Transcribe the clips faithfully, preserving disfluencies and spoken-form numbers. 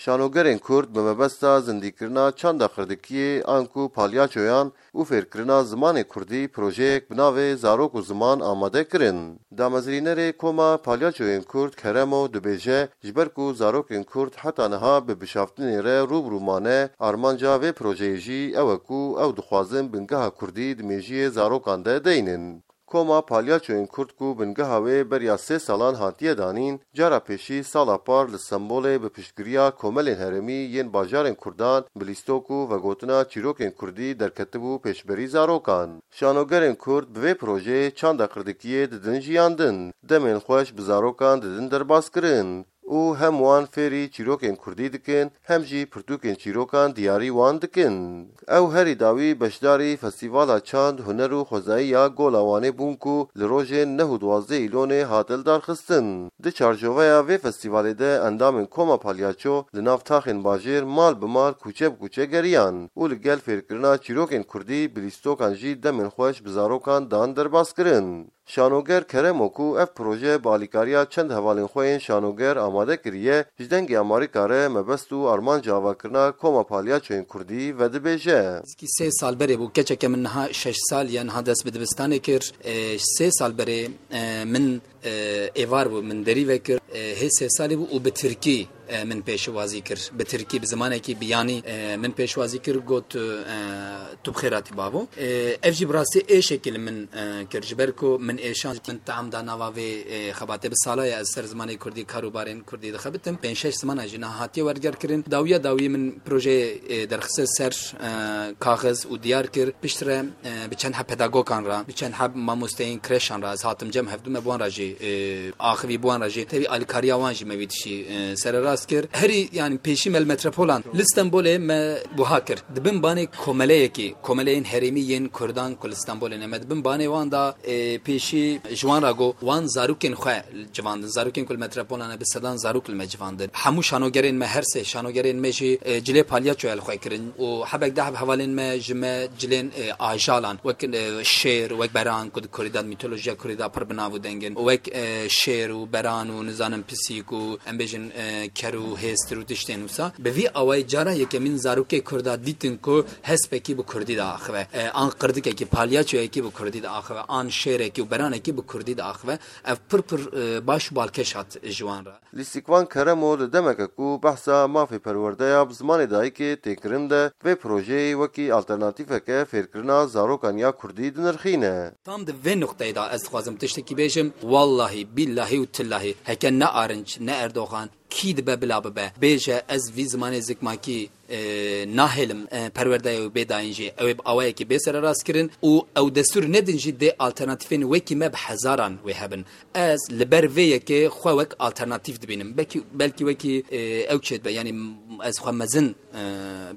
Şanogerên Kurd bi mebesta zindîkirina çanda qirdikiyê anku palyaçoyan û fêrkirina zimanê kurdî projeyek bi navê Zarok û Ziman amade kirin. Damezrînerê Koma Palyaçoyên Kurd Keremo dibêje, ji ber ku zarokên Kurd heta niha bi bişaftinê re rû bi rû mane, armanca vê projeyê jî ew e ku ew dixwazin bingeha kurdî di mêjiyê zarokan de deynin. Koma Palyaçoyên Kurd ku bingeha wê beriya sê salan hatiye danîn, cara pêşî sala par li Stenbolê bi piştgiriya komelên herêmî yên bajarên Kurdan bi lîstok û vegotina çîrokên Kurdî derketibû pêşberî zarokan. Şanogerên Kurd bi vê projeyê çanda qirdikiyê didin jiyandin, demên xweş bi zarokan didin derbaskirin û hem wan fêrî çîrokên Kurdî dikin, hem jî pirtûkên çîrokan diyarî wan dikin. Ew herî dawî beşdarî Festîvala Çand, Huner û Xwezayî ya Gola Wanê bûn ku li rojên neh û duwazdeh Îlonê hate lidarxistin. Di çarçoveya vê festîvalê de endamên Koma Palyaço li nav taxên bajêr mal bi mal, kûçe bi kûçe geriyan û li gel fêrkirina çîrokên Kurdî bi lîstokan jî demên xweş bi zarokan dan derbaskirin. Şanoger Keremo ku ev proje bi alîkariya çend hevalên xwe yên şanoger amade kiriye, ji Dengê Amerîka re mebest û armanca avakirina Koma Palyaçoyên Kurdî vedibêje. Nêzîkî sê sal berê bû, keçeke min niha şeş sal ye, niha dest bi dibistanê kir. E, sê sal berê, e, min, e, êvar bû, min derî vekir. E, hê sê salî bû û bi tirkî e, min pêşwazî kir. Bi tirkî, bi zimanekî biyanî, e, min pêşwazî kir, got, e, "Tu bi xêr hatî bavo." E, ev jî bi rastî êşekî li min, e, kir. Ji ber ku min êşan, min tam da nava vê, e, xebatê. Bi sala ye ez ser zimanê kurdî, kar û barên kurdî dixebitim. Pênc şeş ziman jî niha hatiye wergerkirin. Dawiya dawî min projeyê, e, derxiste ser, e, kaxiz û diyar kir. Piştre e, bi çend heb pedagogan re, bi çend heb mamosteyên kreşan re ez hatim cem, hevdû me bi wan re jî, e, axivî, bi wan re jî tevî alîkariya wan jî me vî tiştî, e, sererast kir. Herî, yanî pêşî me li metropolan li Stenbolê me wiha kir. Di bin banê komeleyekî, komeleyên herêmî yên Kurdan ku li Stenbolê ne, me di bin banê wan da, e, pêşî ji wan re got, wan zarokên xwe civandin. Zarokên ku li metropolan ne, bi sedan zarok li me civandin. Hemû şanogerên me, her sê şanogerên me jî, e, cilê palyaçoya li xwe kirin û hebek de heb hevalên me ji me cilên, e, ajalan, wek, e, şêr, wek beran ku di Kurdî de, mîtolojiya Kurdî de pir bi nav û deng in, wek, e, şêr û beran û nizanim pisîk û em bêjin, e, ker û hêstir û tiştên wisa. Bi vî awayî cara yekemîn zarokê Kurda dîtin ku hespekî bi Kurdî de axive, e, an qirdikekî, palyaçoyekî bi Kurdî de axive, an şêrekî û beranekî bi Kurdî de axive. Ev pir pir, e, baş û balkêş hat ji wan re. Lîstikvan Keremo li demeke ku behsa mafê perwerdeya bi zimanê dayikê tê kirin de, vê projeyê wekî alternatîfeke fêrkirina zarokan ya kurdî dinirxîne. Tam di vê nuqteyê de ez dixwazim tiştekî bêjim. Wallahî, bîllahî û tillahî, heke ne Arinç, ne Erdogan, kî dibe bila bibe, bêje ez vî zimanê zikmakî, e, nahêlim, e, perwerdeyê wê bê dayîn jî, ew ê bi awayekî bê sererastkirin û ew destûr nedin jî dê alternatîfên wekî me bi hezaran wê hebin. Ez li ber vê yekê xwe wek alternatîf dibînim. Belkî, belkî wekî, e, ew çêdibe, yanî ez xwe mezin, e,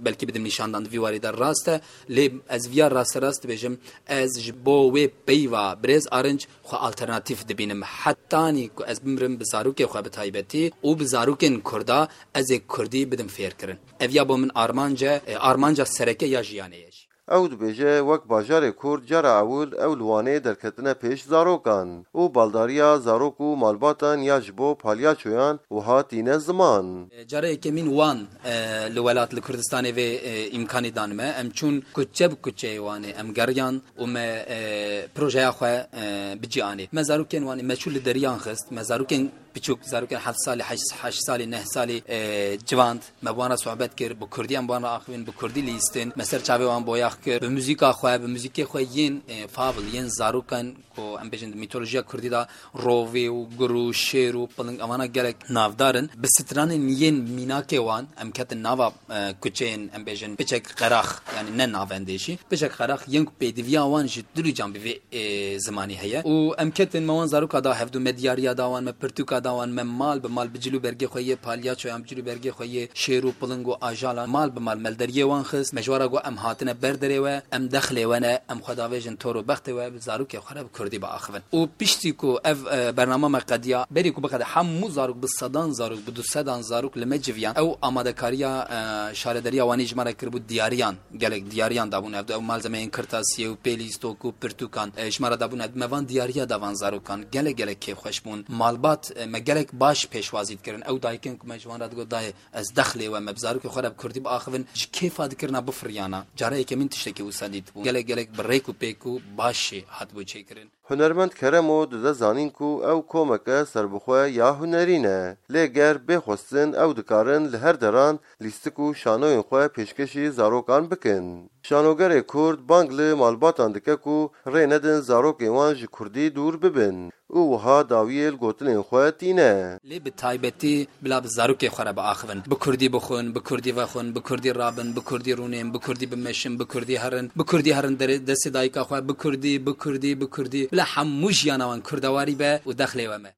belkî bidim nîşandan di vî warî de rast e, lê ez viya rasterast dibêjim, ez ji bo wê peyva birêz Arinç xwe alternatîf dibînim. Hetanî ku ez bimrim bi zarokê xwe bi taybetî û bi zarokên Kurda ez ê Kurdî bidim fêrkirin. Ev ya bo min armanc e, e, armanca sereke ya jiyanê ye jî. Ew dibêje, wek bajarê Kurd cara ewil ew li Wanê derketine pêş zarokan û baldariya zarok û malbatan ya ji bo palyaçoyan wiha tîne ziman. E, cara yekemîn Wan, e, li welat, li Kurdistanê vê, e, îmkanî dan me. Em çûn kuçe bi kuçeyê Wanê, em geriyan û me, e, projeya xwe, e, bi cî anî. Me zarokên Wanê, me çû li deriyan xist, me zarokên piçûk, zarokên heft salî, heşt, heşt salî, neh salî, e, civand. Me bi wan re sohbet kir, bi kurdî em bi wan re axivîn, bi kurdî lîstin. Me ser çavê wan boyax kir. Bi muzîka xwe, bi muzîkê xwe yên, e, fabl, yên zarokan ku em bêjin di mîtolojiya kurdî de rovî û gur û şêr û piling, evana gelek navdar in. Bi stranên yên mînakê wan em ketin nava, e, kuçeyên, em bêjin, piçek qerax, yanî ne navendê jî, piçek qerax yên ku pêdiviya wan ji dilûcan bi vê, e, zimanî heye. Û em ketin me wan zaroka da hevdû, me diyariya da wan, me pirtûka da wan, me mal bi mal bi cil û bergê xwe yê palyaçoyan, bi cil û bergê xwe yê şêr û piling û ajalan mal bi mal me li deriyê wan xist. Me ji wan re got, em hatine ber derê we, em dexlê we ne, em xwe davêjin tor û bextê we, bi zarokê xwe re bi kurdî biaxivin. Û piştî ku ev, e, bernama me qediya, berî ku biqede hemû zarok, bi sedan zarok, bi du sedan zarok li me civiyan, ew amadekariya, e, şarederiya Wanê ji me re kiribû, diyariyan, gelek diyariyan dabûn. Ev, ew malzemeyên kirtasiyê û pêlîstok û pirtûkan, e, ji me re dabûn. Ev, me van diyariya da van zarokan. Gelek gelek kêfxweş bûn. Malbat, e, Me gelek baş pêşwazî dikirin. Ew dayikên ku me ji wan re digot, dayê, ez dexlê we me bi zarokê xwe re bi kurdî biaxivin, ji kêfa dikirina bifiriyana. Cara yekemîn tiştekî wisa dîtibû. Gelek gelek bi rêk û pêk û baş jî hatibû çêkirin. Hunermend Keremo dide zanîn ku ew komeke serbixwe ya hunerî ne. Lê ger bê xwestin ew dikarin li her deran lîstik û şanoyên xwe pêşkêşî zarokan bikin. Şanogerê Kurd bang li malbatan dike ku rê nedin zarokên wan ji Kurdî dûr bibin û wiha dawiyê li gotinên xwe tîne. Lê bi taybetî bila bi zarokê xwe re biaxivin. Bi Kurdî bixwin, bi Kurdî vexwin, bi Kurdî rabin, bi Kurdî rûnên, bi Kurdî bimeşin, bi Kurdî herin, bi Kurdî herin derê destê dayika xwe, bi Kurdî, bi Kurdî, bi Kurdî. Bila hemû jiyana wan Kurdewarî be û dexlê we me.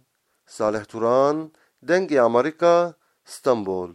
Salih Turan, Dengê Amerîka, Stenbol.